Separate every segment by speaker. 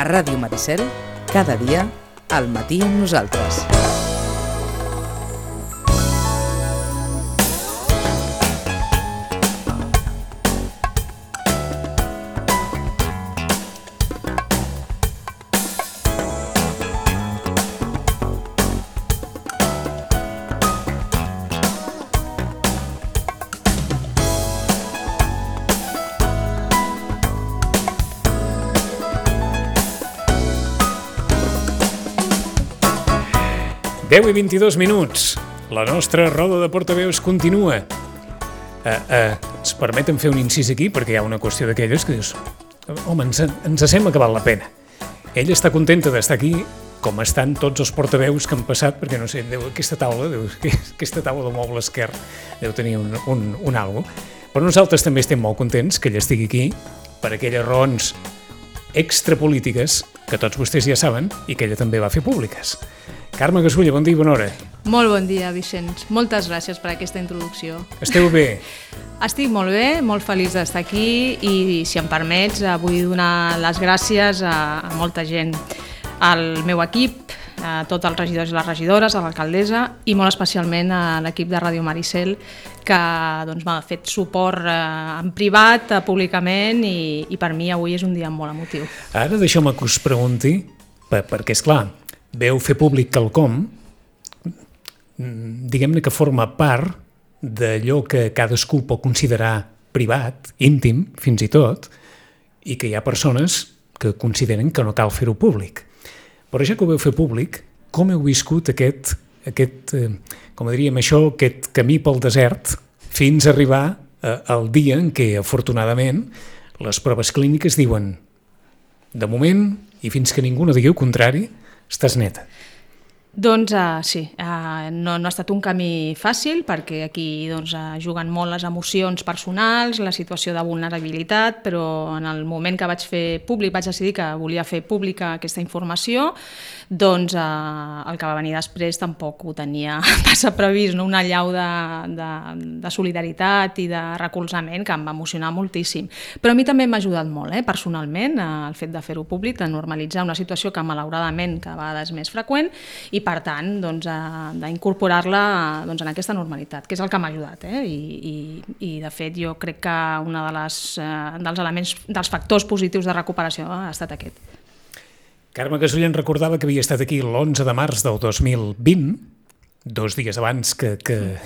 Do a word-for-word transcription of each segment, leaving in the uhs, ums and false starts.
Speaker 1: Ràdio Maricel, cada dia, al matí amb nosaltres.
Speaker 2: deu i vint-i-dos minuts. La nostra roda de portaveus continua. Uh, uh, ens permeten fer un incís aquí perquè hi ha una qüestió d'aquelles que dius home, ens, ens sembla que val la pena. Ella està contenta d'estar aquí com estan tots els portaveus que han passat perquè no sé, deu, aquesta taula deu, aquesta taula del moble esquerre deu tenir un, un, un algo. Però nosaltres també estem molt contents que ella estigui aquí per aquelles raons extrapolítiques que tots vostès ja saben i que ella també va fer públiques. Carme Gasulla, bon dia i bona hora.
Speaker 3: Molt bon dia, Vicenç. Moltes gràcies per aquesta introducció.
Speaker 2: Esteu bé?
Speaker 3: Estic molt bé, molt feliç d'estar aquí i, si em permets, vull donar les gràcies a, a molta gent, al meu equip, a tots els regidors i les regidores, a l'alcaldessa i molt especialment a l'equip de Ràdio Maricel que doncs, m'ha fet suport eh, en privat, eh, públicament i, i per mi avui és un dia molt emotiu.
Speaker 2: Ara deixeu-me que us pregunti, per, perquè és clar, veu fer públic quelcom, diguem-ne que forma part d'allò que cadascú pot considerar privat, íntim, fins i tot, i que hi ha persones que consideren que no cal fer-ho públic. Però ja que ho veu fer públic, com heu viscut aquest, aquest eh, com diríem això, aquest camí pel desert fins a arribar eh, al dia en què, afortunadament, les proves clíniques diuen de moment, i fins que ningú no digui el contrari, estàs neta.
Speaker 3: Doncs uh, sí, uh, no, no ha estat un camí fàcil perquè aquí doncs, uh, juguen molt les emocions personals, la situació de vulnerabilitat, però en el moment que vaig fer públic, vaig decidir que volia fer pública aquesta informació, doncs uh, el que va venir després tampoc ho tenia massa previst, no? Una allau de, de, de solidaritat i de recolzament que em va emocionar moltíssim. Però a mi també m'ha ajudat molt, eh, personalment, uh, el fet de fer-ho públic, de normalitzar una situació que malauradament cada vegada és més freqüent i per tant doncs, d'incorporar-la doncs, en aquesta normalitat, que és el que m'ha ajudat. Eh? I, i, I de fet jo crec que un de les, eh, dels elements, dels factors positius de recuperació ha estat aquest.
Speaker 2: Carme Gasulla en recordava que havia estat aquí l'onze de març del dos mil vint, dos dies abans que, que,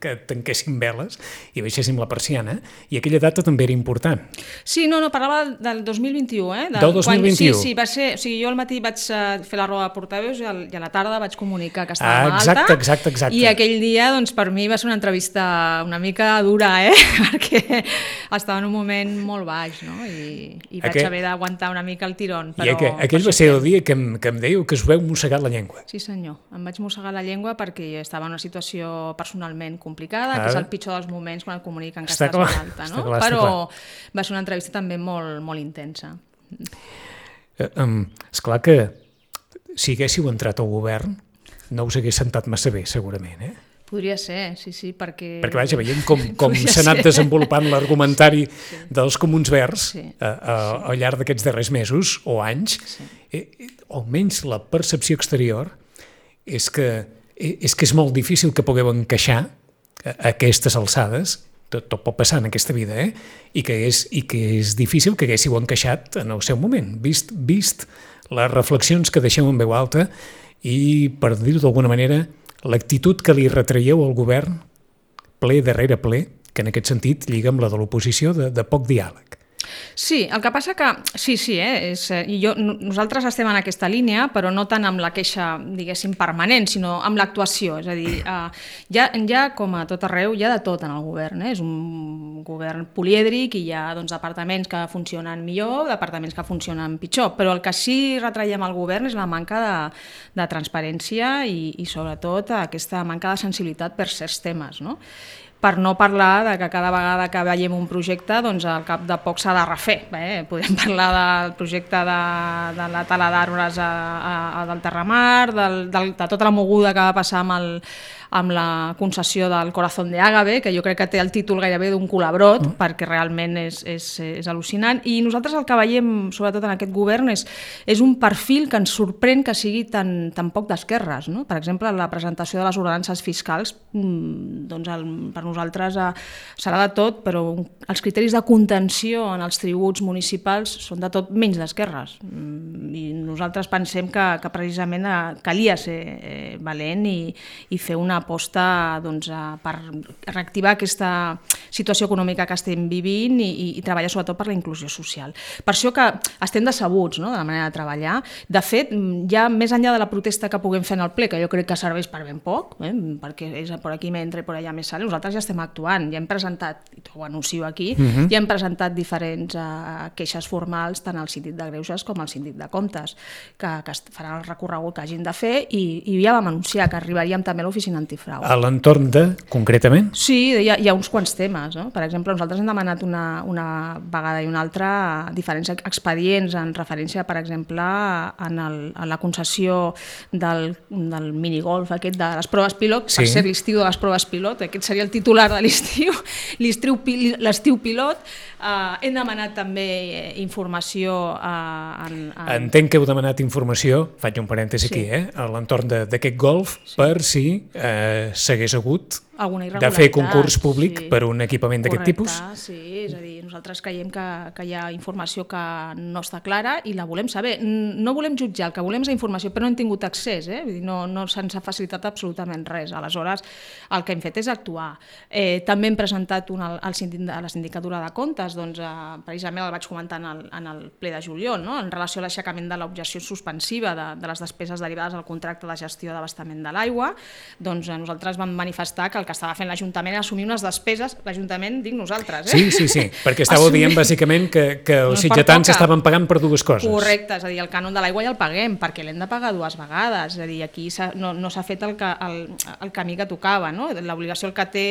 Speaker 2: que tanquéssim veles i baixéssim la persiana, i aquella data també era important.
Speaker 3: Sí, no, no, parlava del dos mil vint-i-u, eh?
Speaker 2: Del, del dos mil vint-i-u.
Speaker 3: Quan, sí, sí, va ser, o sigui, jo al matí vaig fer la roda de portaveus i, al, i a la tarda vaig comunicar que estava
Speaker 2: ah,
Speaker 3: malalta.
Speaker 2: Exacte, exacte, exacte.
Speaker 3: I aquell dia, doncs, per mi va ser una entrevista una mica dura, eh? Perquè estava en un moment molt baix, no? I, i vaig Aquell... haver d'aguantar una mica el tirón. Però,
Speaker 2: I aquell, aquell va ser el dia que em, que em dèieu que us veu mossegat la llengua.
Speaker 3: Sí, senyor, em vaig mossegar la llengua perquè estava en una situació personalment complicada, Ara. que és el pitjor dels moments quan et comuniquen que
Speaker 2: està
Speaker 3: estàs
Speaker 2: clar,
Speaker 3: malalta, no?
Speaker 2: Clar,
Speaker 3: però va ser una entrevista també molt, molt intensa.
Speaker 2: Eh, um, esclar que si haguéssiu entrat al govern no us hagués sentat massa bé, segurament, eh?
Speaker 3: Podria ser, sí, sí, perquè...
Speaker 2: Perquè vaja, veient com, com s'ha anat ser. desenvolupant l'argumentari sí. dels Comuns Verds sí. a, a, al llarg d'aquests darrers mesos o anys, sí. eh, almenys la percepció exterior és que és que és molt difícil que pugueu encaixar a aquestes alçades, tot, tot pot passar en aquesta vida, eh? I, que és, i que és difícil que haguéssiu encaixat en el seu moment, vist, vist les reflexions que deixeu en veu alta i, per dir-ho d'alguna manera, l'actitud que li retraieu al govern ple darrere ple, que en aquest sentit lliga amb la de l'oposició de, de poc diàleg.
Speaker 3: Sí, el que passa que, sí, sí, eh, és, i jo, nosaltres estem en aquesta línia, però no tant amb la queixa, diguéssim, permanent, sinó amb l'actuació. És a dir, eh, ja, ja, com a tot arreu, hi ha de tot en el govern. Eh? És un govern polièdric i hi ha doncs, departaments que funcionen millor, departaments que funcionen pitjor, però el que sí retraiem al govern és la manca de, de transparència i, i sobretot aquesta manca de sensibilitat per certs temes, no? Per no parlar de que cada vegada que veiem un projecte, doncs al cap de poc s'ha de refer. Eh? Podem parlar del projecte de, de la tala d'arbres a, a, a del Terramar, del, del, de tota la moguda que va passar amb el, amb la concessió del Corazón de Ágave, que jo crec que té el títol gairebé d'un colabrot, mm. perquè realment és, és, és al·lucinant. I nosaltres el que veiem, sobretot en aquest govern, és, és un perfil que ens sorprèn que sigui tan, tan poc d'esquerres. No? Per exemple, la presentació de les ordenances fiscals, doncs el, per nosaltres eh, serà de tot, però els criteris de contenció en els tributs municipals són de tot menys d'esquerres. I nosaltres pensem que, que precisament calia ser eh, valent i, i fer una aposta doncs, per reactivar aquesta situació econòmica que estem vivint i, i, i treballar sobretot per la inclusió social. Per això que estem decebuts, no?, de la manera de treballar. De fet, ja més enllà de la protesta que puguem fer en el ple, que jo crec que serveix per ben poc, eh, perquè és per aquí m'entra i per allà més sale, nosaltres ja estem actuant, ja hem presentat, i ho anuncio aquí, uh-huh. ja hem presentat diferents uh, queixes formals tant al síndic de Greuges com al síndic de Comptes, que, que faran el recorregut que hagin de fer i, i ja vam anunciar que arribaríem també a l'oficina antifrau.
Speaker 2: A l'entorn de, concretament?
Speaker 3: Sí, hi ha, hi ha uns quants temes. No? Per exemple, nosaltres hem demanat una, una vegada i una altra diferents expedients en referència, per exemple, en, el, en la concessió del, del minigolf aquest de les proves pilot, sí. per ser l'estiu de les proves pilot, aquest seria el titular de l'estiu, l'estiu pilot. Uh, hem demanat també informació uh, en, en...
Speaker 2: Entenc que heu demanat informació, faig un parèntesi sí. aquí, eh, a l'entorn d'aquest golf, sí. per si eh, s'hagués hagut de fer concurs públic sí. per un equipament d'aquest tipus.
Speaker 3: Sí, és a dir, nosaltres creiem que, que hi ha informació que no està clara i la volem saber. No volem jutjar, el que volem és informació, però no hem tingut accés, eh? Vull dir, no, no se'ns ha facilitat absolutament res. Aleshores, el que hem fet és actuar. Eh, també hem presentat un, al sindic, a la Sindicatura de Comptes, doncs, eh, precisament el vaig comentar en el, en el ple de juliol, no? En relació a l'aixecament de l'objecció suspensiva de, de les despeses derivades al contracte de gestió d'abastament de l'aigua, doncs eh, nosaltres vam manifestar que el que estava fent l'Ajuntament era assumir unes despeses, l'Ajuntament dic nosaltres, eh?
Speaker 2: Sí, sí, sí, perquè estàveu assumir... dient bàsicament que, que els sitgetans estaven pagant per dues coses.
Speaker 3: Correcte, és a dir, el cànon de l'aigua ja el paguem, perquè l'hem de pagar dues vegades, és a dir, aquí no, no s'ha fet el, el, el camí que tocava, no? L'obligació que té,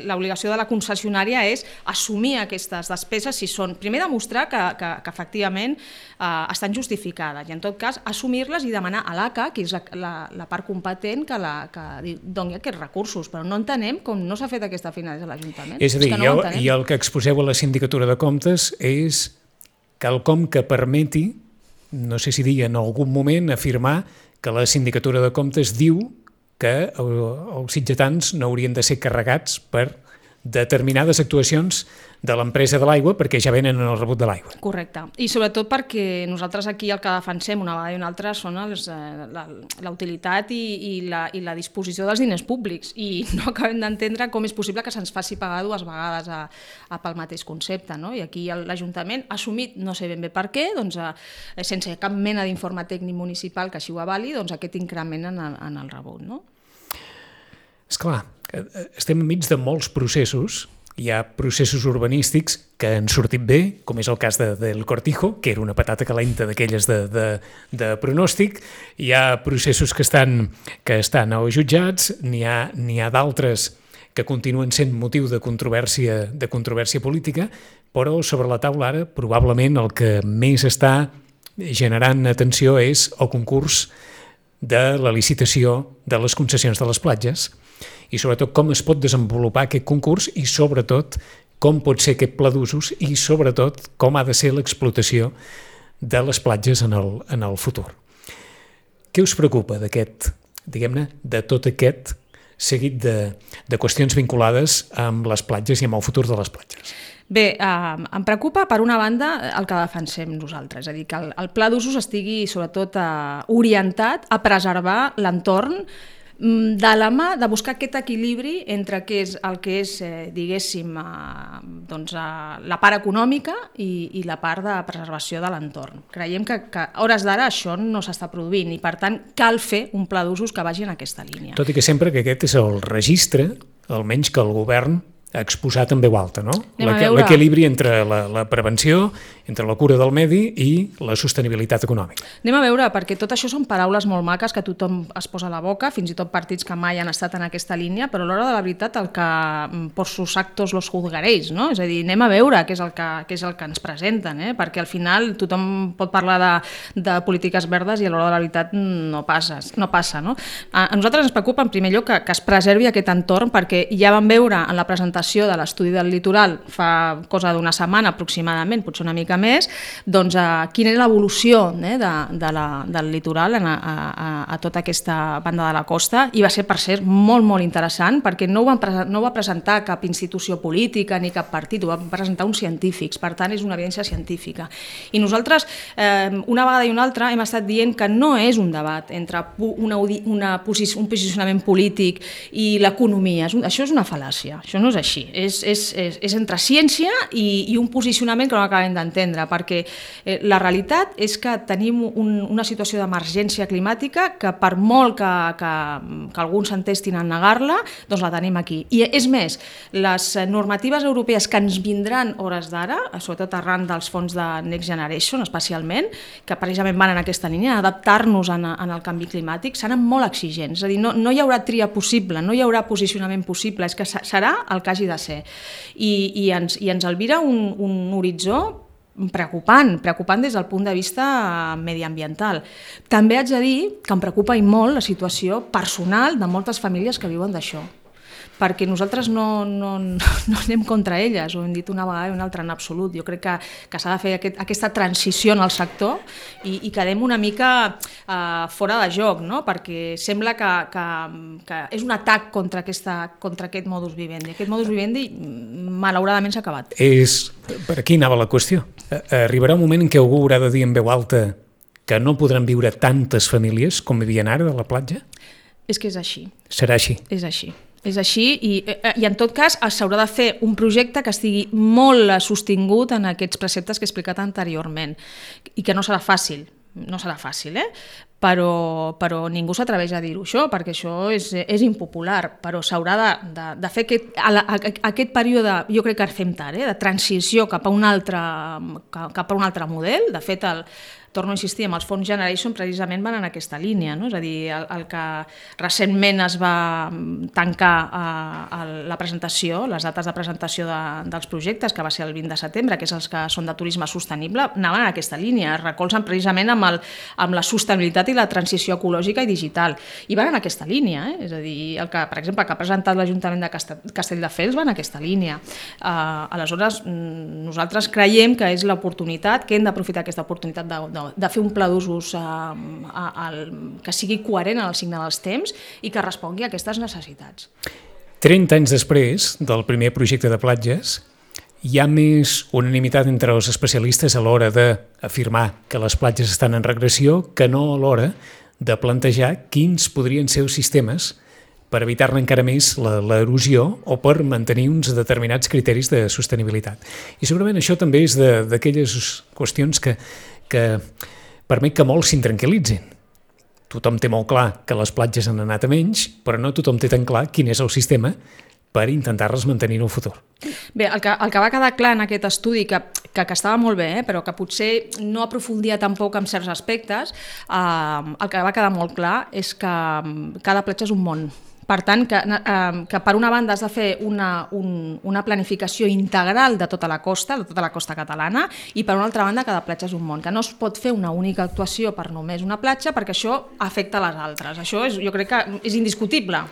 Speaker 3: l'obligació de la concessionària és assumir aquestes despeses si són, primer demostrar que, que, que efectivament eh, estan justificades i en tot cas assumir-les i demanar a l'A C A, que és la, la, la part competent que, la, que doni aquests recursos, però no entenem com no s'ha fet aquesta feina des de l'Ajuntament.
Speaker 2: És a dir, és no i, el, i el que exposeu a la Sindicatura de Comptes és quelcom que permeti, no sé si dir en algun moment, afirmar que la Sindicatura de Comptes diu que els sitgetans no haurien de ser carregats per determinades actuacions de l'empresa de l'aigua perquè ja venen en el rebut de l'aigua.
Speaker 3: Correcte. I sobretot perquè nosaltres aquí el que defensem una vegada i una altra són els, eh, la, la utilitat i, i, la, i la disposició dels diners públics i no acabem d'entendre com és possible que se'ns faci pagar dues vegades a, a pel mateix concepte. No? I aquí l'Ajuntament ha assumit, no sé ben bé per què, doncs, eh, sense cap mena d'informe tècnic municipal que així ho avali, doncs, aquest increment en el, en el rebut. No?
Speaker 2: Esclar, estem enmig de molts processos. Hi ha processos urbanístics que han sortit bé, com és el cas de, del Cortijo, que era una patata calenta d'aquelles de, de, de pronòstic. Hi ha processos que estan, que estan als jutjats, n'hi ha, n'hi ha d'altres que continuen sent motiu de controvèrsia, de controvèrsia política, però sobre la taula ara probablement el que més està generant atenció és el concurs de la licitació de les concessions de les platges i sobretot com es pot desenvolupar aquest concurs i sobretot com pot ser aquest pla d'usos i sobretot com ha de ser l'explotació de les platges en el, en el futur. Què us preocupa d'aquest, diguem-ne, de tot aquest seguit de, de qüestions vinculades amb les platges i amb el futur de les platges?
Speaker 3: Bé, eh, em preocupa, per una banda, el que defensem nosaltres, és a dir, que el, el pla d'usos estigui sobretot eh, orientat a preservar l'entorn de la mà de buscar aquest equilibri entre què és el que és, eh, diguéssim, eh, doncs, eh, la part econòmica i, i la part de preservació de l'entorn. Creiem que, que a hores d'ara això no s'està produint i, per tant, cal fer un pla d'usos que vagi en aquesta línia.
Speaker 2: Tot i que sempre que aquest és el registre, almenys que el govern exposat en veu alta, no?
Speaker 3: Veure...
Speaker 2: L'equilibri entre la, la prevenció, entre la cura del medi i la sostenibilitat econòmica.
Speaker 3: Anem a veure, perquè tot això són paraules molt maques que tothom es posa a la boca, fins i tot partits que mai han estat en aquesta línia, però a l'hora de la veritat el que por sus actos los juzgaréis, no? És a dir, anem a veure què és el que, què és el que ens presenten, eh? Perquè al final tothom pot parlar de, de polítiques verdes i a l'hora de la veritat no passa, no passa, no? A nosaltres ens preocupa en primer lloc que, que es preservi aquest entorn, perquè ja vam veure en la presentació de l'estudi del litoral fa cosa d'una setmana aproximadament, potser una mica més, doncs eh, quina és l'evolució eh, de, de la, del litoral a, a, a tota aquesta banda de la costa, i va ser, per cert, molt, molt interessant, perquè no ho, van pre no ho va presentar cap institució política ni cap partit, ho van presentar uns científics, per tant és una evidència científica. I nosaltres, eh, una vegada i una altra, hem estat dient que no és un debat entre una, una posi un posicionament polític i l'economia, això és una fal·làcia, això no és així. Així. És, és, és, és entre ciència i, i un posicionament que no acabem d'entendre, perquè eh, la realitat és que tenim un, una situació d'emergència climàtica que per molt que, que, que alguns s'entestin a negar-la, doncs la tenim aquí. I és més, les normatives europees que ens vindran hores d'ara, sobretot arran dels fons de Next Generation especialment, que precisament van en aquesta línia, adaptar-nos en, en el canvi climàtic, seran molt exigents. És a dir, no, no hi haurà tria possible, no hi haurà posicionament possible, és que serà el que hagi de ser. I, i, ens, i ens albira un, un horitzó preocupant, preocupant des del punt de vista mediambiental. També haig de dir que em preocupa i molt la situació personal de moltes famílies que viuen d'això, perquè nosaltres no, no, no anem contra elles, ho hem dit una vegada i una altra en absolut. Jo crec que, que s'ha de fer aquest, aquesta transició en el sector i, i quedem una mica uh, fora de joc, no? Perquè sembla que, que, que és un atac contra, aquesta, contra aquest modus vivendi. Aquest modus vivendi malauradament s'ha acabat.
Speaker 2: És, per aquí anava la qüestió. Arribarà un moment en què algú haurà de dir en veu alta que no podran viure tantes famílies com vivien ara de la platja?
Speaker 3: És que és així.
Speaker 2: Serà així?
Speaker 3: És així. És així i, i en tot cas s'haurà de fer un projecte que estigui molt sostingut en aquests preceptes que he explicat anteriorment i que no serà fàcil, no serà fàcil, eh? Però, però ningú s'atreveix a dir-ho això, perquè això és, és impopular, però s'haurà de, de, de fer aquest, a la, a, aquest període, jo crec que fem tard, eh? De transició cap a un altre, cap a un altre model. De fet, el, torno a insistir, amb els fons Generation precisament van en aquesta línia, no? És a dir, el, el que recentment es va tancar eh, la presentació, les dates de presentació de, dels projectes, que va ser el vint de setembre, que és els que són de turisme sostenible, anaven en aquesta línia, es recolzen precisament amb, el, amb la sostenibilitat i la transició ecològica i digital. I van en aquesta línia, eh? És a dir, el que, per exemple, que ha presentat l'Ajuntament de Castelldefels va en aquesta línia. Eh, aleshores, nosaltres creiem que és l'oportunitat, que hem d'aprofitar aquesta oportunitat de, de de fer un pla d'usos eh, que sigui coherent en el signe dels temps i que respongui a aquestes necessitats.
Speaker 2: trenta anys després del primer projecte de platges, hi ha més unanimitat entre els especialistes a l'hora d'afirmar que les platges estan en regressió que no a l'hora de plantejar quins podrien ser els sistemes per evitar-ne encara més l'erosió o per mantenir uns determinats criteris de sostenibilitat. I segurament això també és d'aquelles qüestions que, que permet que molts s'intranquil·litzin. Tothom té molt clar que les platges han anat a menys, però no tothom té tan clar quin és el sistema per intentar-les mantenir en el futur.
Speaker 3: Bé, el que, el que va quedar clar en aquest estudi, que, que, que estava molt bé, eh, però que potser no aprofundia tampoc en certs aspectes, eh, el que va quedar molt clar és que cada platja és un món. Per tant, que, eh, que per una banda has de fer una, un, una planificació integral de tota la costa, de tota la costa catalana, i per una altra banda cada platja és un món, que no es pot fer una única actuació per només una platja perquè això afecta les altres. Això és, jo crec que és indiscutible.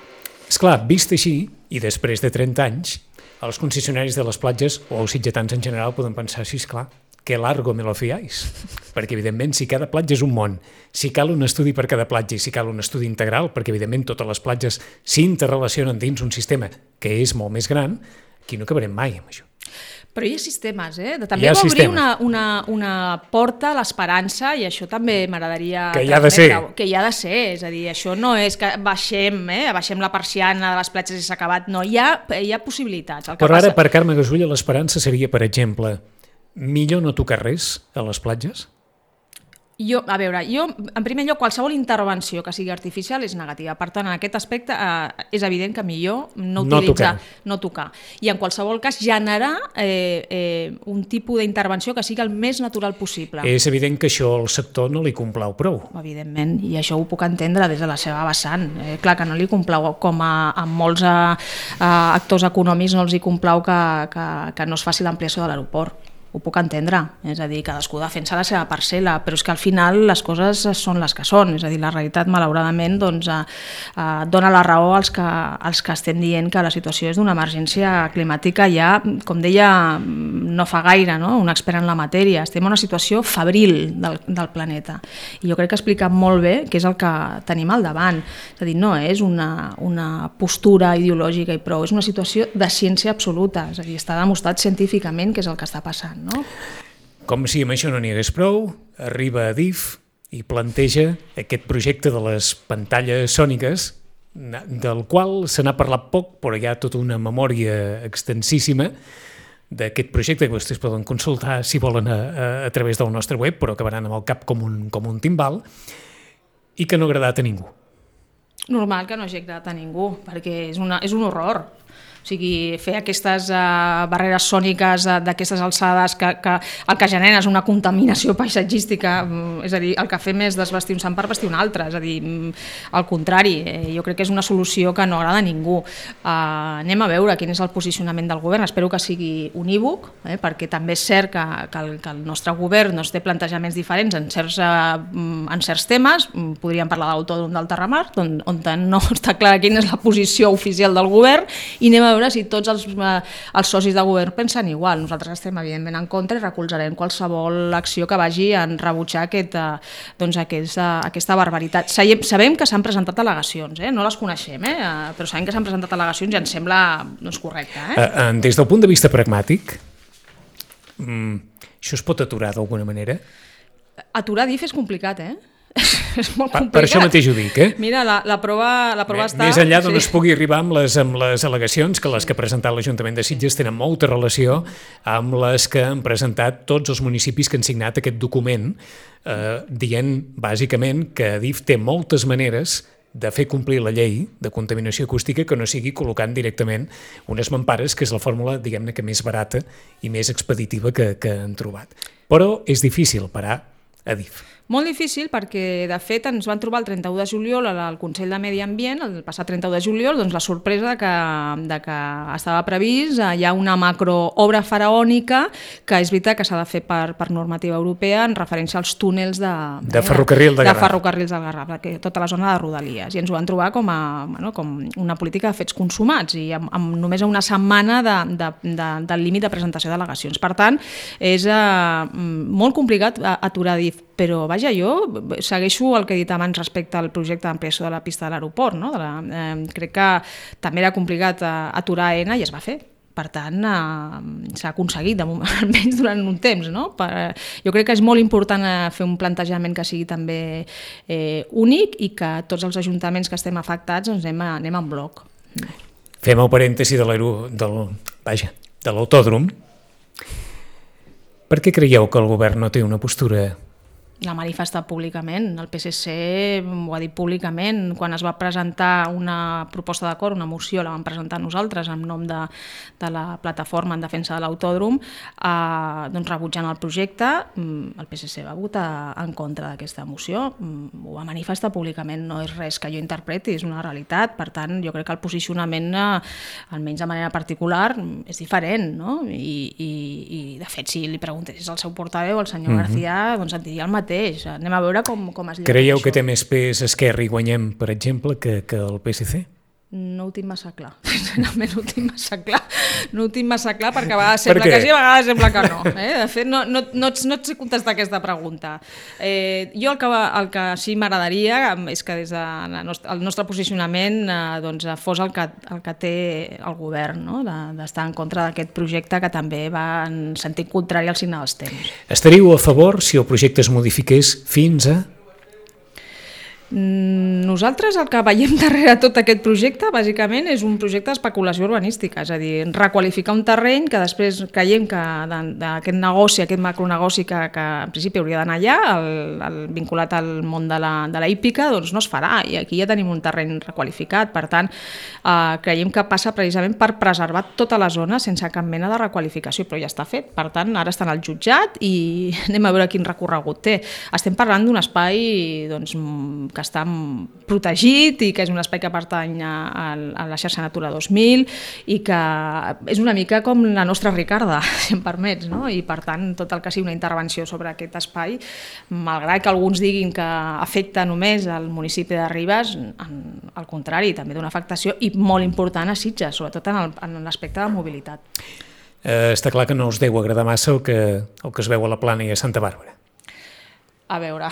Speaker 2: Esclar, vist així, i després de trenta anys, els concessionaris de les platges, o els sitgetans en general, poden pensar, sí, esclar, que largo me lo fiáis. Perquè, evidentment, si cada platja és un món, si cal un estudi per cada platja i si cal un estudi integral, perquè, evidentment, totes les platges s'interrelacionen dins un sistema que és molt més gran, aquí no acabarem mai amb això.
Speaker 3: Però hi ha sistemes, eh? També va obrir una, una, una porta a l'esperança i això també m'agradaria...
Speaker 2: Que hi ha de ser.
Speaker 3: Que hi ha de ser, és a dir, això no és que baixem, eh? baixem la persiana de les platges i s'ha acabat, no, hi ha, hi ha possibilitats. El que
Speaker 2: Però ara,
Speaker 3: passa...
Speaker 2: per Carme Gasulla, l'esperança seria, per exemple, millor no tocar res a les platges?
Speaker 3: Jo, a veure, jo, en primer lloc, qualsevol intervenció que sigui artificial és negativa. Per tant, en aquest aspecte eh, és evident que millor no utilitzar, no tocar. no tocar. I en qualsevol cas generar eh, eh, un tipus d'intervenció que sigui el més natural possible.
Speaker 2: És evident que això al sector no li complau prou.
Speaker 3: Evidentment, i això ho puc entendre des de la seva vessant. Eh, clar que no li complau, com a, a molts a, a actors econòmics no els hi complau que, que, que no es faci l'ampliació de l'aeroport. Ho puc entendre, és a dir, cadascú defensa la seva parcel·la, però és que al final les coses són les que són, és a dir, la realitat malauradament doncs, eh, eh, dona la raó als que, als que estem dient que la situació és d'una emergència climàtica ja, com deia no fa gaire, no? Un expert en la matèria, estem en una situació febril del, del planeta, i jo crec que ha explicat molt bé què és el que tenim al davant, és a dir, no és una, una postura ideològica i prou, és una situació de ciència absoluta, és a dir, està demostrat científicament què és el que està passant. No?
Speaker 2: Com si amb això no n'hi hagués prou, arriba Adif i planteja aquest projecte de les pantalles sòniques, del qual se n'ha parlat poc, però hi ha tota una memòria extensíssima d'aquest projecte que vostès poden consultar si volen a, a, a través del nostre web, però acabaran amb el cap com un, com un timbal, i que no ha agradat a ningú.
Speaker 3: Normal que no hagi agradat a ningú, perquè és, una, és un horror. O sigui, fer aquestes uh, barreres sòniques uh, d'aquestes alçades que, que el que genera és una contaminació paisatgística, um, és a dir, el que fem és desvestir un sant per vestir un altre, és a dir, um, al contrari, eh, jo crec que és una solució que no agrada a ningú. Uh, anem a veure quin és el posicionament del govern, espero que sigui unívoc, eh, perquè també és cert que, que, el, que el nostre govern no té plantejaments diferents en certs, uh, en certs temes, podríem parlar de l'autòdrom del Terramar, on, on no està clar quina és la posició oficial del govern, i anem a veure si tots els, eh, els socis de govern pensen igual. Nosaltres estem evidentment en contra i recolzarem qualsevol acció que vagi en rebutjar aquest, eh, doncs aquesta, aquesta barbaritat. Sabem, sabem que s'han presentat al·legacions, eh? No les coneixem, eh? Però sabem que s'han presentat al·legacions i ens sembla doncs, correcte. Eh?
Speaker 2: Uh, des del punt de vista pragmàtic, um, això es pot aturar d'alguna manera?
Speaker 3: Aturar D I F és complicat, eh? És molt
Speaker 2: per,
Speaker 3: complicat.
Speaker 2: per això mateix ho dic, eh?
Speaker 3: Mira, la, la prova, la prova
Speaker 2: Més,
Speaker 3: està...
Speaker 2: Més enllà d'on
Speaker 3: sí.
Speaker 2: es pugui arribar amb les, amb les al·legacions, que les que ha presentat l'Ajuntament de Sitges tenen molta relació amb les que han presentat tots els municipis que han signat aquest document, eh, dient bàsicament que Adif té moltes maneres de fer complir la llei de contaminació acústica que no sigui col·locant directament unes mampares, que és la fórmula, diguem-ne, que més barata i més expeditiva que, que han trobat. Però és difícil parar Adif.
Speaker 3: Molt difícil perquè, de fet, ens van trobar el trenta-u de juliol al Consell de Medi Ambient, el passat trenta-u de juliol, doncs la sorpresa de que, de que estava previst, hi ha una macroobra faraònica que és veritat que s'ha de fer per, per normativa europea en referència als túnels de,
Speaker 2: de, ferrocarril de,
Speaker 3: de ferrocarrils del Garraf, que tota la zona de Rodalies, i ens ho van trobar com, a, bueno, com una política de fets consumats i amb, amb només una setmana de, de, de, del límit de presentació d'al·legacions. Per tant, és eh, molt complicat aturar D I F, però vaja, jo segueixo el que he dit abans respecte al projecte d'ampliació de la pista de l'aeroport, no? de la, eh, crec que també era complicat eh, aturar A E N A i es va fer. Per tant, eh, s'ha aconseguit, almenys durant un temps. No? Per, jo crec que és molt important eh, fer un plantejament que sigui també eh, únic i que tots els ajuntaments que estem afectats doncs, anem, a, anem en bloc.
Speaker 2: Fem el parèntesi de l'autòdrom. Per què creieu que el govern no té una postura?
Speaker 3: L'ha manifestat públicament, el P S C ho ha dit públicament, quan es va presentar una proposta d'acord, una moció, la vam presentar nosaltres en nom de, de la plataforma en defensa de l'autòdrom, eh, doncs rebutjant el projecte, el P S C va votar en contra d'aquesta moció, ho va manifestar públicament, no és res que jo interpreti, és una realitat, per tant jo crec que el posicionament, eh, almenys de manera particular, és diferent, no? I, i, i de fet si li preguntessis al seu portaveu, el senyor mm-hmm. García, doncs et diria el mateix. Anem a veure com, com es lliga.
Speaker 2: Creieu que té més pes Esquerra i Guanyem, per exemple, que, que el P S C?
Speaker 3: No ho tinc massa clar. Sincerament no ho tinc massa clar. No ho tinc massa clar perquè a vegades sembla que sí, a vegades sembla que no. Eh? De fet, no, no, no, no et sé contestar aquesta pregunta. Eh, jo el que, el que sí m'agradaria és que des del nostre, el nostre posicionament eh, doncs, fos el que, el que té el govern, no? de, d'estar en contra d'aquest projecte que també va en sentit contrari al signe dels temps.
Speaker 2: Estaríeu a favor si el projecte es modifiqués fins a...
Speaker 3: Nosaltres el que veiem darrere tot aquest projecte bàsicament és un projecte d'especulació urbanística, és a dir, requalificar un terreny que després creiem que d'aquest negoci, aquest macronegoci que, que en principi hauria d'anar allà, el, el, vinculat al món de la, de la hípica, doncs no es farà, i aquí ja tenim un terreny requalificat. Per tant, eh, creiem que passa precisament per preservar tota la zona sense cap mena de requalificació, però ja està fet. Per tant, ara està en el jutjat i anem a veure quin recorregut té. Estem parlant d'un espai doncs, que està protegit i que és un espai que pertany a, a la xarxa Natura dos mil i que és una mica com la nostra Ricarda, si em permets, no? I per tant tot el que sigui una intervenció sobre aquest espai, malgrat que alguns diguin que afecta només al municipi de Ribes, al contrari, també d'una afectació i molt important a Sitges, sobretot en l'aspecte de mobilitat.
Speaker 2: Eh, està clar que no us deu agradar massa el que, el que es veu a la Plana i a Santa Bàrbara.
Speaker 3: A veure,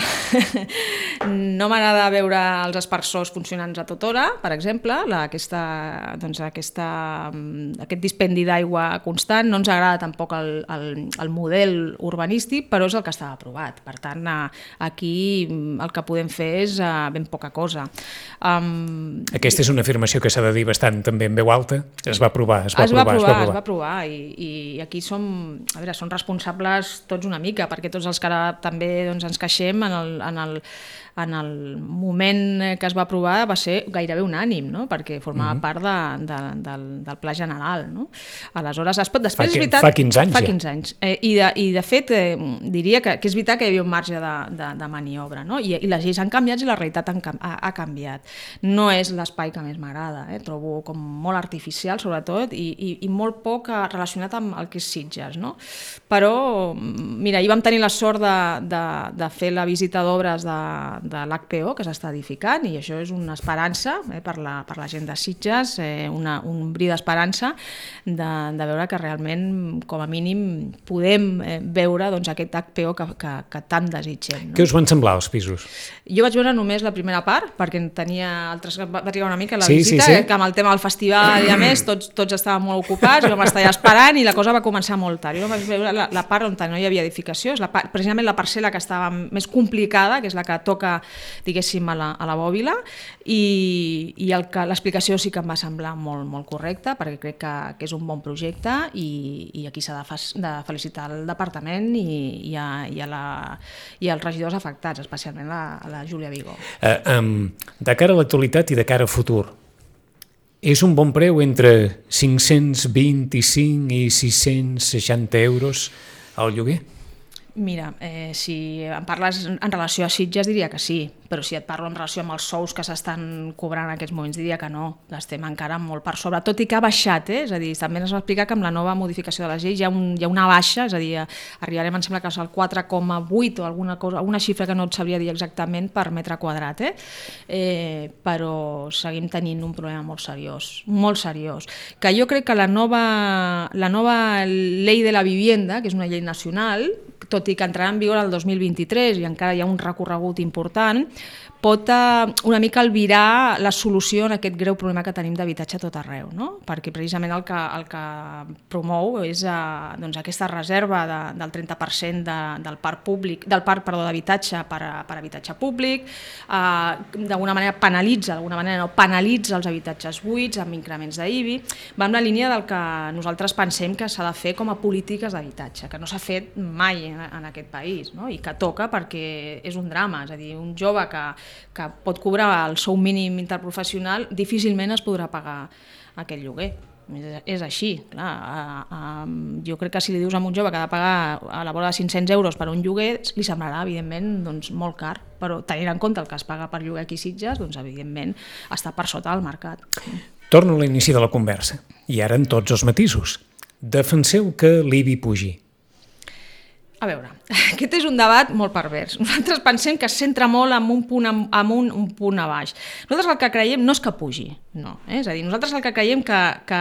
Speaker 3: no m'agrada veure els aspersors funcionants a tota hora, per exemple, la, aquesta, doncs aquesta, aquest dispendi d'aigua constant, no ens agrada tampoc el, el, el model urbanístic, però és el que estava aprovat. Per tant, aquí el que podem fer és ben poca cosa. Um,
Speaker 2: aquesta és una afirmació que s'ha de dir bastant també en veu alta. Es va aprovar, es va
Speaker 3: es va
Speaker 2: aprovar,
Speaker 3: aprovar,
Speaker 2: es va aprovar.
Speaker 3: Es va aprovar i, i aquí som, a veure, som responsables tots una mica, perquè tots els que ara també doncs, ens queixem en el, en el, en el moment que es va aprovar va ser gairebé unànim, no? Perquè formava mm-hmm. part de, de, del, del pla general. No? Aleshores, es pot, després
Speaker 2: fa,
Speaker 3: és veritat...
Speaker 2: Fa quinze anys
Speaker 3: fa
Speaker 2: ja.
Speaker 3: quinze anys. Eh, i, de, I de fet, eh, diria que, que és veritat que hi havia un marge de, de, de maniobra, no? I, i les lleis han canviat i la realitat han, ha, ha canviat. No és l'espai que més m'agrada, eh? Trobo com molt artificial, sobretot, i, i, i molt poc relacionat amb el que és Sitges, no? Però, mira, ahir vam tenir la sort de, de, de fer la visita d'obres de, de l'H P O que s'està edificant i això és una esperança eh, per, la, per la gent de Sitges, eh, una, un bri d'esperança de, de veure que realment, com a mínim, podem eh, veure doncs, aquest H P O que, que, que tant desitgem. No?
Speaker 2: Què us van semblar els pisos?
Speaker 3: Jo vaig veure només la primera part perquè tenia altres, va trigar una mica la
Speaker 2: sí,
Speaker 3: visita,
Speaker 2: sí, sí.
Speaker 3: Eh, que amb el tema del festival i a més tots, tots estàvem molt ocupats, jo m'estava esperant i la cosa va començar molt tard. Jo vaig veure la, la part on no hi havia edificació, és la part, precisament la parcel·la que estava més complicada, que és la que toca, diguéssim, a la, a la bòbila, i, i l'explicació sí que em va semblar molt, molt correcta, perquè crec que, que és un bon projecte i, i aquí s'ha de, de felicitar el departament i, i, a, i, a la, i als regidors afectats, especialment la, a la Júlia Vigó.
Speaker 2: Uh, um, de cara a l'actualitat i de cara a futur, és un bon preu entre cinc-cents vint-i-cinc i sis-cents seixanta euros al lloguer?
Speaker 3: Mira, eh, si em parles en relació a Sitges diria que sí, però si et parlo en relació amb els sous que s'estan cobrant en aquests moments diria que no, l'estem encara molt per sobre, tot i que ha baixat, eh? És a dir, també ens va explicar que amb la nova modificació de les lleis hi ha, un, hi ha una baixa, és a dir, arribarem, em sembla que és el quatre coma vuit o alguna cosa, alguna xifra que no et sabria dir exactament per metre quadrat, eh? Eh, però seguim tenint un problema molt seriós, molt seriós, que jo crec que la nova, la nova llei de la vivienda, que és una llei nacional, tot i que entrarà en vigor el dos mil vint-i-tres i encara hi ha un recorregut important, pot una mica albirar la solució en aquest greu problema que tenim d'habitatge a tot arreu, no? Perquè precisament el que, el que promou és eh, doncs aquesta reserva de, del trenta per cent de, del parc públic, del parc perdó, d'habitatge per, a, per habitatge públic, eh, d'alguna manera penalitza, d'alguna manera no, penalitza els habitatges buits amb increments d'I B I, va en la línia del que nosaltres pensem que s'ha de fer com a polítiques d'habitatge, que no s'ha fet mai en, en aquest país, no? I que toca perquè és un drama, és a dir, un jove que que pot cobrar el sou mínim interprofessional, difícilment es podrà pagar aquest lloguer. És així, clar. Jo crec que si li dius a un jove que ha de pagar a la vora de cinc-cents euros per un lloguer, li semblarà, evidentment, doncs, molt car, però tenint en compte el que es paga per lloguer aquí a Sitges, doncs, evidentment, està per sota del mercat.
Speaker 2: Torno a l'inici de la conversa, i ara en tots els matisos. Defenseu que l'I B I pugi.
Speaker 3: A veure, aquest és un debat molt pervers. Nosaltres pensem que es centra molt en un punt amunt, un punt a baix. Nosaltres el que creiem no és que pugi, no. Eh? És a dir, nosaltres el que creiem que, que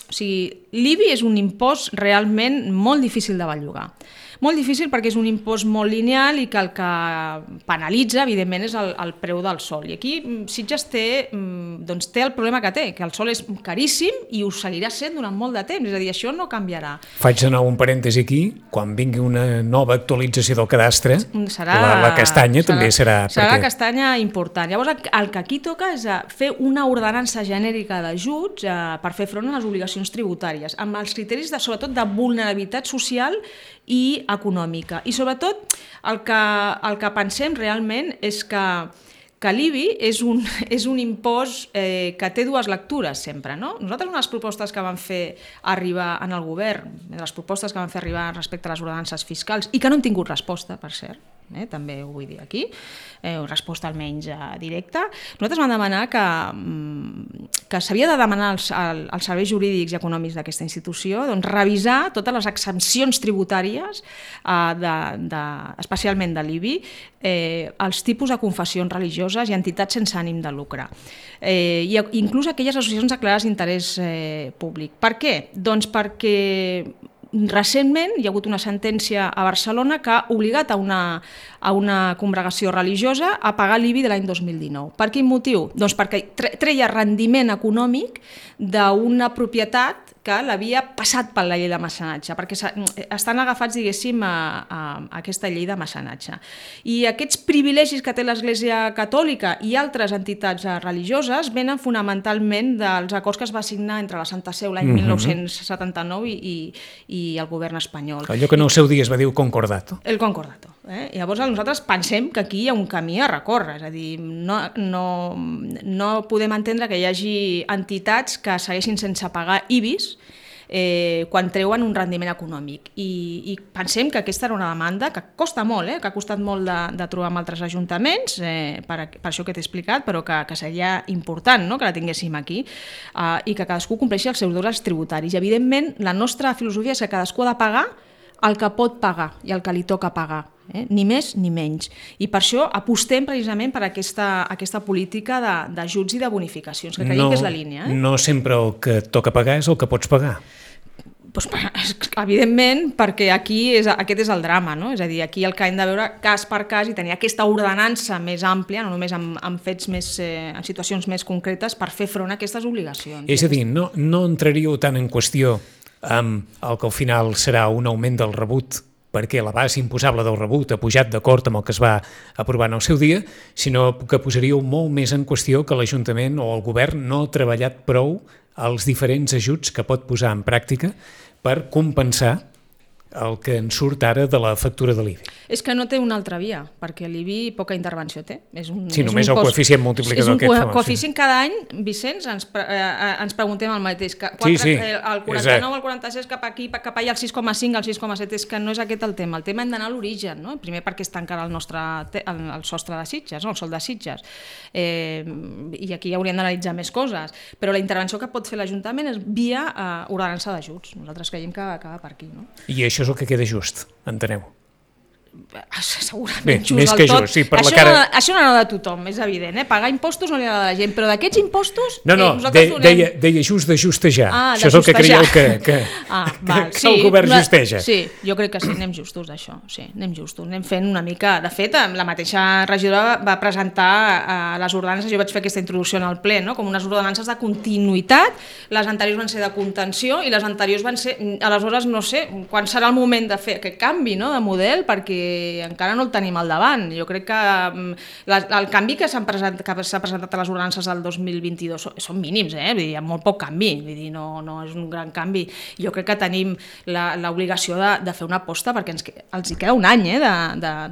Speaker 3: o sigui, l'I B I és un impost realment molt difícil de bellugar. Molt difícil perquè és un impost molt lineal i que el que penalitza, evidentment, és el, el preu del sol. I aquí Sitges té, doncs, té el problema que té, que el sol és caríssim i ho seguirà sent durant molt de temps, és a dir, això no canviarà.
Speaker 2: Faig de nou un parèntesi aquí, quan vingui una nova actualització del cadastre,
Speaker 3: serà,
Speaker 2: la, la castanya serà, també serà...
Speaker 3: Serà
Speaker 2: perquè...
Speaker 3: la castanya important. Llavors, el que aquí toca és fer una ordenança genèrica d'ajuts per fer front a les obligacions tributàries, amb els criteris, de, sobretot, de vulnerabilitat social i econòmica. I, sobretot, el que, el que pensem realment és que que l'I B I és un, és un impost eh, que té dues lectures sempre, no? Nosaltres, una de les propostes que vam fer arribar en el govern, de les propostes que vam fer arribar respecte a les ordenances fiscals, i que no han tingut resposta, per cert, eh, també ho vull dir aquí, eh, resposta almenys eh, directa, nosaltres vam demanar que, que s'havia de demanar als, als serveis jurídics i econòmics d'aquesta institució doncs, revisar totes les exempcions tributàries, eh, de, de, especialment de l'I B I, eh, els tipus de confessions religioses i entitats sense ànim de lucre. Eh, i inclús aquelles associacions declarades d'interès eh, públic. Per què? Doncs perquè recentment hi ha hagut una sentència a Barcelona que ha obligat a una, a una congregació religiosa a pagar l'I B I de l'any dos mil dinou. Per quin motiu? Doncs perquè treia rendiment econòmic d'una propietat que l'havia passat per la llei de mecenatge, perquè estan agafats, diguéssim, a, a, a aquesta llei de mecenatge. I aquests privilegis que té l'Església Catòlica i altres entitats religioses venen fonamentalment dels acords que es va signar entre la Santa Seu l'any mil nou-cents setanta-nou i, i, i el govern espanyol.
Speaker 2: Allò que en el seu dia es va dir concordato.
Speaker 3: El concordato. Eh? Llavors nosaltres pensem que aquí hi ha un camí a recórrer, és a dir, no, no, no podem entendre que hi hagi entitats que segueixin sense pagar I B Is Eh, quan treuen un rendiment econòmic. I, i pensem que aquesta era una demanda que costa molt, eh, que ha costat molt de, de trobar amb altres ajuntaments, eh, per, per això que t'he explicat, però que, que seria important, no?, que la tinguéssim aquí, eh, i que cadascú compleixi els seus deures tributaris. I, evidentment, la nostra filosofia és que cadascú ha de pagar el que pot pagar i el que li toca pagar. Eh? Ni més ni menys. I per això apostem precisament per aquesta, aquesta política d'ajuts i de bonificacions, que creiem no, que és la línia. Eh?
Speaker 2: No sempre el que toca pagar és el que pots pagar.
Speaker 3: Pues, evidentment, perquè aquí és, aquest és el drama, no? És a dir, aquí el que hem de veure cas per cas i tenir aquesta ordenança més àmplia, no només amb, amb fets més, eh, en situacions més concretes, per fer front a aquestes obligacions.
Speaker 2: És a dir, no, no entraríeu tant en qüestió amb el que al final serà un augment del rebut perquè la base imposable del rebut ha pujat d'acord amb el que es va aprovar en el seu dia, sinó que posaríeu molt més en qüestió que l'Ajuntament o el Govern no ha treballat prou els diferents ajuts que pot posar en pràctica per compensar el que en surt ara de la factura de l'I B I.
Speaker 3: És que no té una altra via, perquè l'I B I poca intervenció té. És un,
Speaker 2: sí,
Speaker 3: és
Speaker 2: només
Speaker 3: un
Speaker 2: el
Speaker 3: cost,
Speaker 2: coeficient multiplicador aquest.
Speaker 3: És un coeficient cada any, Vicenç, ens, eh, ens preguntem el mateix. Que quatre,
Speaker 2: sí, sí.
Speaker 3: El quaranta-nou, el quaranta-sis, cap aquí, cap allà, el sis coma cinc, el sis coma set, és que no és aquest el tema. El tema hem d'anar a l'origen, no? Primer perquè està encara el nostre el, el sostre de Sitges, no? El sol de Sitges. Eh, I aquí hauríem d'analitzar més coses. Però la intervenció que pot fer l'Ajuntament és via eh, ordenança d'ajuts. Nosaltres creiem que acaba per aquí, no?
Speaker 2: I això és el que queda just, enteneu?
Speaker 3: Segurament
Speaker 2: Bé,
Speaker 3: just
Speaker 2: més
Speaker 3: del
Speaker 2: que
Speaker 3: tot.
Speaker 2: just, sí, per
Speaker 3: això,
Speaker 2: la cara...
Speaker 3: no, això no agrada a tothom, és evident, eh? Pagar impostos no li agrada a la gent, però d'aquests impostos
Speaker 2: no, no,
Speaker 3: eh, nosaltres
Speaker 2: de,
Speaker 3: donem...
Speaker 2: deia, deia just de justejar,
Speaker 3: ah,
Speaker 2: això és el que creieu que, que,
Speaker 3: ah,
Speaker 2: que,
Speaker 3: val,
Speaker 2: que
Speaker 3: sí,
Speaker 2: el govern
Speaker 3: la,
Speaker 2: justeja.
Speaker 3: Sí, jo crec que sí, anem justos d'això, sí, anem justos, anem fent una mica, de fet, la mateixa regidora va presentar eh, les ordenances, jo vaig fer aquesta introducció en el ple, no? Com unes ordenances de continuïtat, les anteriors van ser de contenció i les anteriors van ser, aleshores no sé, quan serà el moment de fer aquest canvi, no?, de model, perquè encara no el tenim al davant. Jo crec que la, el canvi que s'ha presentat, presentat a les ordenances del dos mil vint-i-dos són, són mínims, eh? Vull dir, hi ha molt poc canvi, vull dir, no, no és un gran canvi. Jo crec que tenim l'obligació de, de fer una aposta perquè ens, els hi queda un any eh,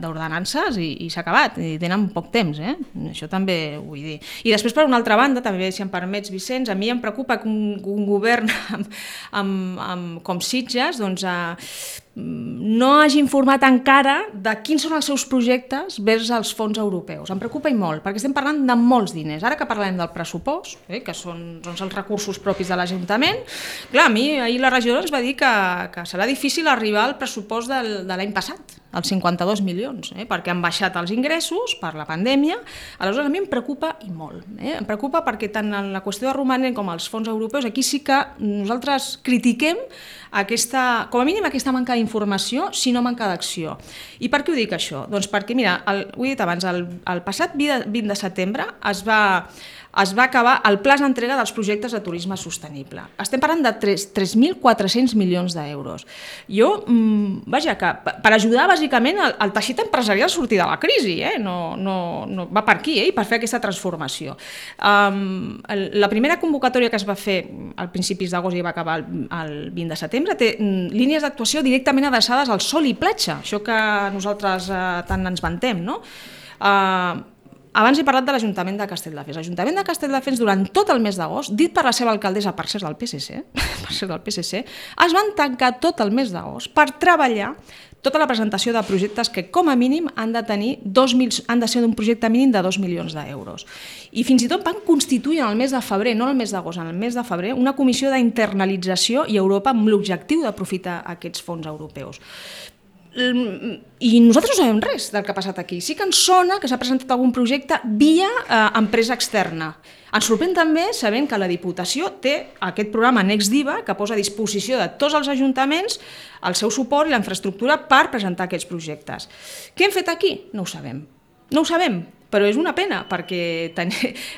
Speaker 3: d'ordenances i, i s'ha acabat, i tenen poc temps, eh? Això també ho vull dir. I després, per una altra banda, també, si em permets, Vicenç, a mi em preocupa que un, un govern amb, amb, amb, com Sitges, doncs, eh, no hagi informat encara de quins són els seus projectes vers els fons europeus. Em preocupa i molt, perquè estem parlant de molts diners. Ara que parlem del pressupost, eh, que són, són els recursos propis de l'Ajuntament, clar, a mi ahir la regidora ens va dir que, que serà difícil arribar al pressupost del, de l'any passat. els cinquanta-dos milions, eh? perquè han baixat els ingressos per la pandèmia. Aleshores, a mi em preocupa i molt. Eh? Em preocupa perquè tant en la qüestió de romanent com els fons europeus, aquí sí que nosaltres critiquem aquesta, com a mínim aquesta manca d'informació, si no manca d'acció. I per què ho dic això? Doncs perquè, mira, el, ho he dit abans, el, el passat vint de setembre es va... es va acabar el pla d'entrega dels projectes de turisme sostenible. Estem parlant de tres mil quatre-cents milions d'euros. Jo, mmm, vaja, que per ajudar bàsicament el, el teixit empresarial a sortir de la crisi, eh? no, no, no, va per aquí, eh? per fer aquesta transformació. Um, la primera convocatòria que es va fer al principis d'agost i va acabar el, el vint de setembre té mm, línies d'actuació directament adreçades al sol i platja, això que nosaltres eh, tant ens vantem, no? Uh, Abans he parlat de l'Ajuntament de Castelldefels. L'Ajuntament de Castelldefels, durant tot el mes d'agost, dit per la seva alcaldessa, per ser del P S C, per ser del P S C, es van tancar tot el mes d'agost per treballar tota la presentació de projectes que, com a mínim, han de tenir dos mil, han de ser d'un projecte mínim de dos milions d'euros. I fins i tot van constituir en el mes de febrer, no en el mes d'agost, en el mes de febrer, una comissió d'internalització i Europa amb l'objectiu d'aprofitar aquests fons europeus. I nosaltres no sabem res del que ha passat aquí. Sí que ens sona que s'ha presentat algun projecte via eh, empresa externa. Ens sorprèn també sabent que la Diputació té aquest programa NextDiva que posa a disposició de tots els ajuntaments el seu suport i la infraestructura per presentar aquests projectes. Què hem fet aquí? No ho sabem. No ho sabem, però és una pena perquè ten...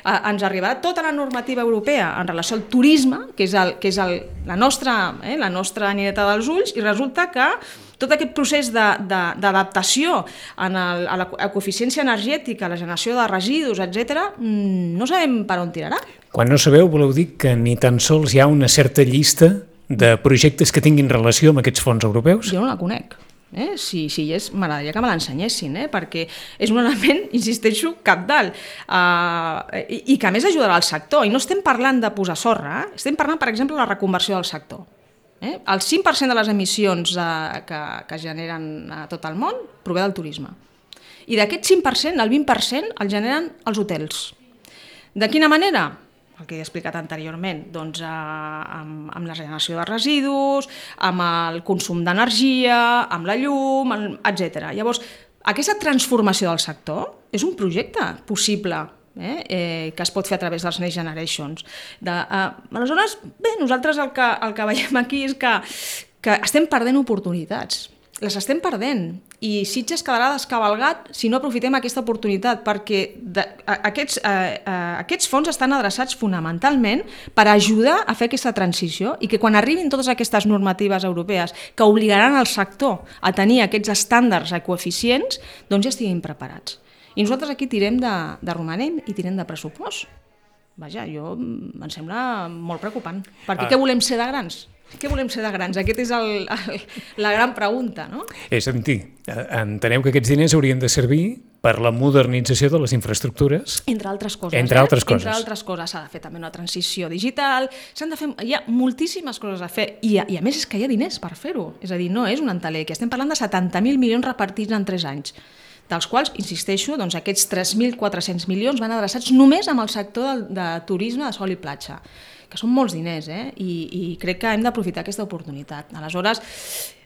Speaker 3: ens arribarà tota la normativa europea en relació al turisme, que és, el, que és el, la, nostra, eh, la nostra nineta dels ulls, i resulta que tot aquest procés d'adaptació a la coeficiència energètica, a la generació de residus, etcètera, no sabem per on tirarà.
Speaker 2: Quan no sabeu, voleu dir que ni tan sols hi ha una certa llista de projectes que tinguin relació amb aquests fons europeus?
Speaker 3: Jo no la conec. Eh? Si, si hi és, m'agradaria que me l'ensenyessin, eh? perquè és un element, insisteixo, cabdal, uh, i, i que a més ajudarà al sector. I no estem parlant de posar sorra, eh? Estem parlant, per exemple, de la reconversió del sector. Eh? El cinc per cent de les emissions eh, que, que generen a tot el món prové del turisme. I d'aquest cinc per cent, el vint per cent el generen els hotels. De quina manera? El que he explicat anteriorment, doncs, eh, amb, amb la generació de residus, amb el consum d'energia, amb la llum, etcètera. Llavors, aquesta transformació del sector és un projecte possible, Eh, eh, que es pot fer a través dels Next Generations. De, eh, aleshores, bé, nosaltres el que, el que veiem aquí és que, que estem perdent oportunitats. Les estem perdent i Sitges quedarà descavalgat si no aprofitem aquesta oportunitat, perquè de, a, aquests, eh, eh, aquests fons estan adreçats fonamentalment per ajudar a fer aquesta transició i que quan arribin totes aquestes normatives europees que obligaran el sector a tenir aquests estàndards ecoeficients, doncs ja estiguin preparats. I nosaltres aquí tirem de, de romanent i tirem de pressupost. Vaja, jo em sembla molt preocupant. Perquè ah. què volem ser de grans? Què volem ser de grans? Aquesta és el, el, la gran pregunta, no?
Speaker 2: És a dir, enteneu que aquests diners haurien de servir per la modernització de les infraestructures?
Speaker 3: Entre altres coses.
Speaker 2: Entre
Speaker 3: eh?
Speaker 2: altres coses.
Speaker 3: Entre altres coses. S'ha de fer també una transició digital, s'han de fer... Hi ha moltíssimes coses a fer i a, i a més és que hi ha diners per fer-ho. És a dir, no és un enteler, que estem parlant de setanta mil milions repartits en tres anys. Dels quals, insisteixo, doncs aquests tres mil quatre-cents milions van adreçats només amb el sector de, de turisme de sol i platja, que són molts diners, eh? I, i crec que hem d'aprofitar aquesta oportunitat. Aleshores,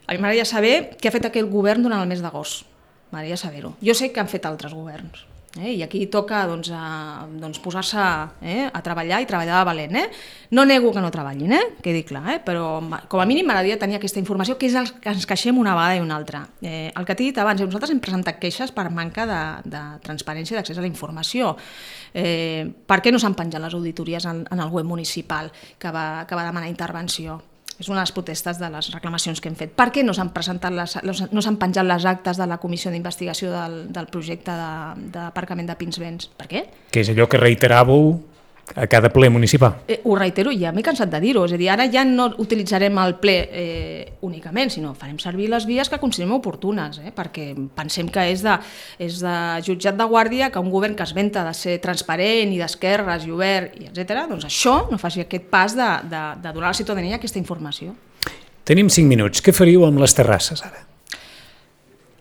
Speaker 3: a mi m'agradaria saber què ha fet aquest govern durant el mes d'agost. M'agradaria saber-ho. Jo sé que han fet altres governs, eh? I aquí toca doncs, a, doncs, posar-se eh? a treballar i treballar de valent. Eh? No nego que no treballin, eh? Quedi clar, eh? Però com a mínim m'agradaria tenir aquesta informació, que és el que ens queixem una vegada i una altra. Eh, el que t'he dit abans, nosaltres hem presentat queixes per manca de, de transparència i d'accés a la informació. Eh, per què no s'han penjat les auditories en, en el web municipal que va, que va demanar intervenció? És una de les protestes de les reclamacions que hem fet. Per què no s'han presentat les, no s'han penjat les actes de la comissió d'investigació del, del projecte d'aparcament de, de Pinsbens? Per què?
Speaker 2: Que és allò que reiteràveu a cada ple municipal.
Speaker 3: Eh, ho reitero, ja m'he cansat de dir-ho. És a dir, ara ja no utilitzarem el ple eh, únicament, sinó farem servir les vies que considerem oportunes, eh, perquè pensem que és de, és de jutjat de guàrdia que un govern que es venta de ser transparent i d'esquerres i obert, i etcètera, doncs això no faci aquest pas de, de, de donar a la ciutadania aquesta informació.
Speaker 2: Tenim cinc minuts. Què faríeu amb les terrasses ara?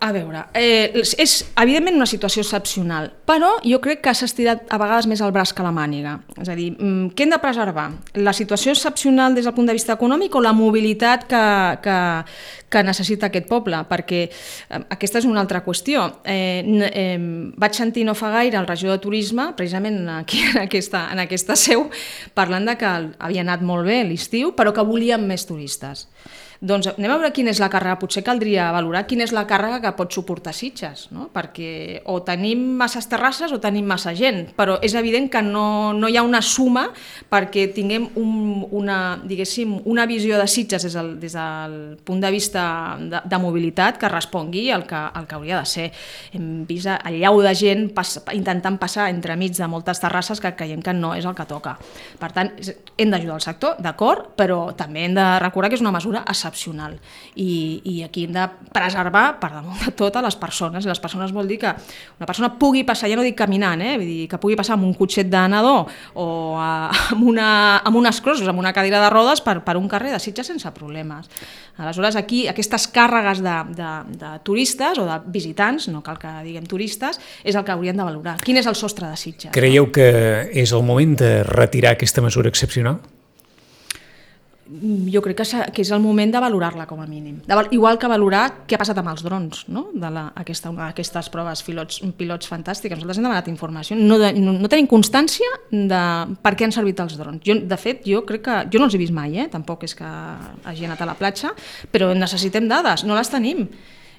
Speaker 3: A veure, eh, és evidentment una situació excepcional, però jo crec que s'ha estirat a vegades més el braç que la màniga. És a dir, què hem de preservar? La situació excepcional des del punt de vista econòmic o la mobilitat que, que, que necessita aquest poble? Perquè eh, aquesta és una altra qüestió. Eh, eh, vaig sentir no fa gaire el regidor de Turisme, precisament aquí en aquesta, en aquesta seu, parlant de que havia anat molt bé l'estiu, però que volien més turistes. Doncs anem a veure quina és la càrrega, potser caldria valorar quina és la càrrega que pot suportar Sitges, no? Perquè o tenim masses terrasses o tenim massa gent, però és evident que no, no hi ha una suma perquè tinguem un, una, diguéssim, una visió de Sitges des del, des del punt de vista de, de mobilitat que respongui al que, al que hauria de ser. Hem vist el llau de gent pas, intentant passar entremig de moltes terrasses que creiem que no és el que toca. Per tant, hem d'ajudar el sector, d'acord, però també hem de recordar que és una mesura excepcional. I, i aquí hem de preservar per damunt de tot a les persones. Les persones vol dir que una persona pugui passar, ja no dic caminant, eh? Vull dir, que pugui passar amb un cotxet de nadó o a, amb, una, amb unes crosses, amb una cadira de rodes per, per un carrer de Sitges sense problemes. Aleshores, aquí aquestes càrregues de, de, de turistes o de visitants, no cal que diguem turistes, és el que haurien de valorar. Quin és el sostre de Sitges?
Speaker 2: Creieu que és el moment de retirar aquesta mesura excepcional?
Speaker 3: Jo crec que, que és el moment de valorar-la com a mínim. De, igual que valorar què ha passat amb els drons, no? De la, aquesta, aquestes proves pilots, pilots fantàstiques. Nosaltres hem demanat informació. No, de, no, no tenim constància de per què han servit els drons. Jo, de fet, jo crec que... Jo no els he vist mai, eh? Tampoc és que hagi anat a la platja, però necessitem dades, no les tenim.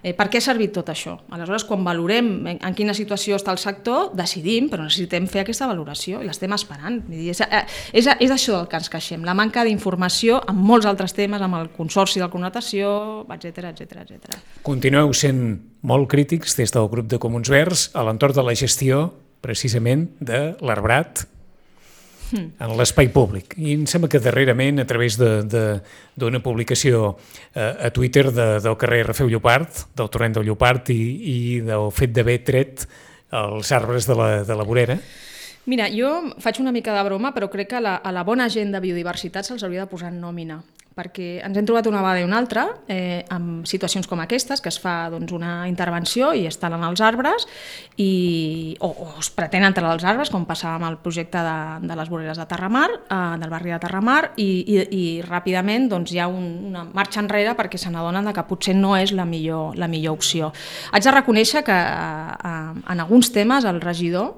Speaker 3: Eh, per què ha servit tot això? Aleshores, quan valorem en, en quina situació està el sector, decidim, però necessitem fer aquesta valoració i l'estem esperant. És, és, és això del que ens queixem, la manca d'informació en molts altres temes, amb el consorci de connotació, etcètera, etcètera, etcètera.
Speaker 2: Continueu sent molt crítics des del grup de Comuns Verds a l'entorn de la gestió, precisament, de l'arbrat en l'espai públic. I em sembla que darrerament, a través d'una publicació a Twitter de, del carrer Rafeu Llopart, del torrent del Llopart i, i del fet d'haver tret els arbres de la, de la vorera.
Speaker 3: Mira, jo faig una mica de broma, però crec que a la, a la bona gent de biodiversitat se'ls hauria de posar en nòmina, perquè ens hem trobat una vegada i una altra eh, amb situacions com aquestes, que es fa doncs, una intervenció i es talen els arbres i, o, o es pretén entrar als arbres, com passava amb el projecte de, de les voreres de Terramar, eh, del barri de Terramar, i, i, i ràpidament doncs, hi ha un, una marxa enrere perquè se n'adonen que potser no és la millor, la millor opció. Haig de reconèixer que eh, en alguns temes el regidor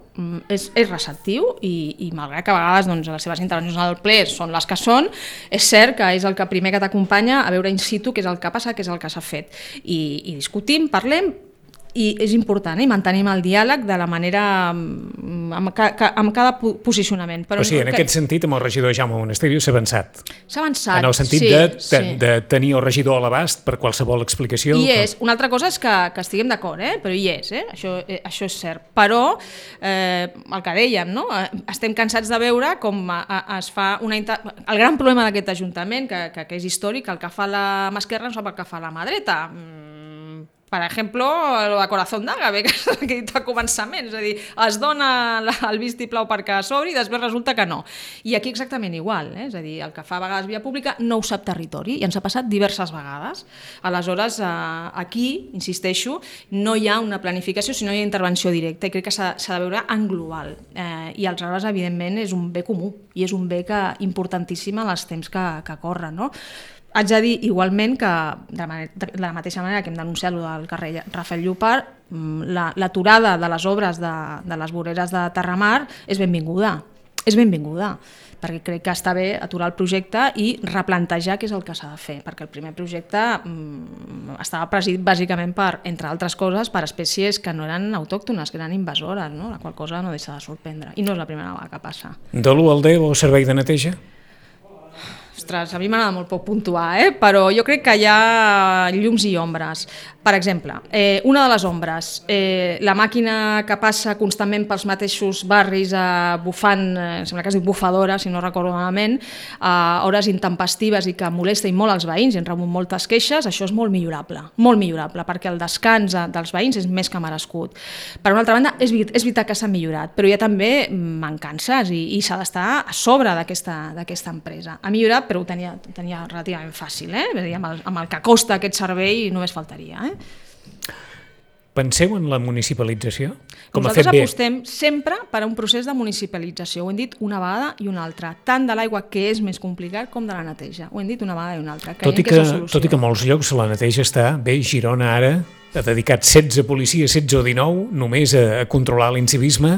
Speaker 3: és, és receptiu i, i malgrat que a vegades doncs, les seves intervencions al ple són les que són, és cert que és el que primer que t'acompanya a veure in situ què és el que passa, què és el que s'ha fet. I, i discutim, parlem, i és important, eh? Mantenim el diàleg de la manera, amb, ca, amb cada posicionament. Però
Speaker 2: o sigui, en
Speaker 3: que...
Speaker 2: aquest sentit, amb el regidor Jaume Monasterio s'ha avançat.
Speaker 3: S'ha avançat,
Speaker 2: en el sentit
Speaker 3: sí,
Speaker 2: de, de,
Speaker 3: sí.
Speaker 2: de tenir el regidor a l'abast per qualsevol explicació.
Speaker 3: I és. Una altra cosa és que, que estiguem d'acord, eh? Però hi és, eh? Això, eh, això és cert. Però, eh, el que dèiem, no? Estem cansats de veure com a, a, es fa una... Inter... El gran problema d'aquest Ajuntament, que, que, que és històric, el que fa la mà esquerra no sap el que fa la mà dreta. Mm. Per exemple, el de Corazón d'Àgave, que és el que he dit al començament, és a dir, es dona el vistiplau perquè s'obri i després resulta que no. I aquí exactament igual, eh? És a dir, el que fa a vegades via pública no ho sap territori i ens ha passat diverses vegades. Aleshores, eh, aquí, insisteixo, no hi ha una planificació, sinó hi ha intervenció directa i crec que s'ha de veure en global. Eh, I els arbres, evidentment, és un bé comú i és un bé que, importantíssim en els temps que, que corren, no? Haig de dir igualment que, de la, manera, de la mateixa manera que hem denunciat el del carrer Rafel Llopart, l'aturada de les obres de, de les voreres de Terramar és benvinguda, és benvinguda, perquè crec que està bé aturar el projecte i replantejar què és el que s'ha de fer, perquè el primer projecte mm, estava presidit bàsicament per, entre altres coses, per espècies que no eren autòctones, que eren invasores, no? La qual cosa no deixa de sorprendre, i no és la primera vegada que passa.
Speaker 2: De l'u al deu, el servei de neteja?
Speaker 3: Ostres, a mi m'agrada molt poc puntuar, eh? Però jo crec que hi ha llums i ombres. Per exemple, eh, una de les ombres, eh, la màquina que passa constantment pels mateixos barris eh, bufant, eh, sembla que es diu bufadora, si no recordo malament, a hores intempestives i que molesta i molt als veïns, i en rebut moltes queixes, això és molt millorable, molt millorable, perquè el descans dels veïns és més que merescut. Per una altra banda, és, és veritat que s'ha millorat, però hi ha també mancances i, i s'ha d'estar a sobre d'aquesta empresa. Ha millorat, però ho tenia, ho tenia relativament fàcil, eh? Amb el, amb el que costa aquest servei només faltaria, eh?
Speaker 2: Penseu en la municipalització? Com
Speaker 3: Nosaltres
Speaker 2: ha fet bé?
Speaker 3: apostem sempre per a un procés de municipalització, ho hem dit una vegada i una altra, tant de l'aigua, que és més complicat, com de la neteja. Ho hem dit una vegada i una altra.
Speaker 2: Tot i, que, que tot i que a molts llocs la neteja està bé, Girona ara ha dedicat setze policies, setze o dinou, només a, a controlar l'incivisme.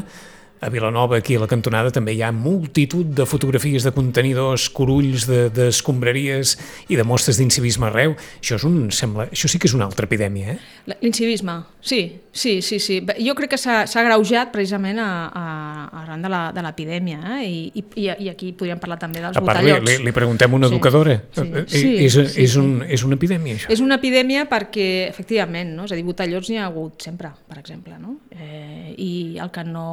Speaker 2: A Vilanova, aquí a la cantonada, també hi ha multitud de fotografies de contenidors, curulls d'escombraries i de mostres d'incivisme arreu. Això, és un, sembla, això sí que és una altra epidèmia, eh?
Speaker 3: L'incivisme, sí, sí, sí, sí. Jo crec que s'ha agreujat precisament a, a, arran de l'epidèmia, eh? I, i, i aquí podríem parlar també dels
Speaker 2: botellots.
Speaker 3: botellots.
Speaker 2: Li, li preguntem a una sí, educadora. Sí, sí, és,
Speaker 3: sí,
Speaker 2: és,
Speaker 3: sí.
Speaker 2: Un, és una epidèmia, això?
Speaker 3: És una epidèmia perquè, efectivament, no? És a dir, botellots n'hi ha hagut sempre, per exemple, no? Eh, I el que no...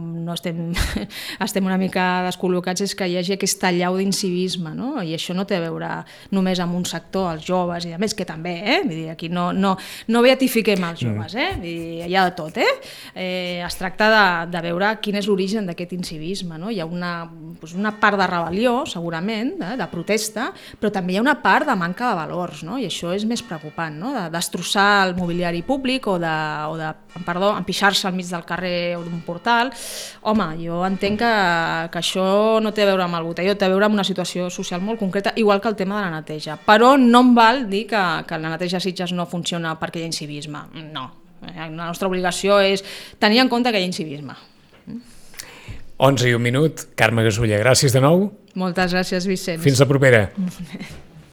Speaker 3: no estem, estem una mica descol·locats és que hi hagi aquesta allau d'incivisme, no? I això no té a veure només amb un sector, els joves i a més, que també, eh? Vull dir, aquí no, no, no beatifiquem els joves, eh? Vull dir, hi ha de tot, eh? eh es tracta de, de veure quin és l'origen d'aquest incivisme, no? Hi ha una, doncs una part de rebel·lió, segurament, eh? De protesta, però també hi ha una part de manca de valors, no? I això és més preocupant, no? De destrossar el mobiliari públic o de, o de perdó, empixar-se al mig del carrer o d'un portal. Home, jo entenc que, que això no té a veure amb el botelló, té a veure amb una situació social molt concreta, igual que el tema de la neteja. Però no em val dir que, que la neteja a Sitges no funciona perquè hi ha incivisme. No. La nostra obligació és tenir en compte que hi ha incivisme.
Speaker 2: onze i un minut. Carme Gasulla, gràcies de nou.
Speaker 3: Moltes gràcies, Vicenç.
Speaker 2: Fins la propera.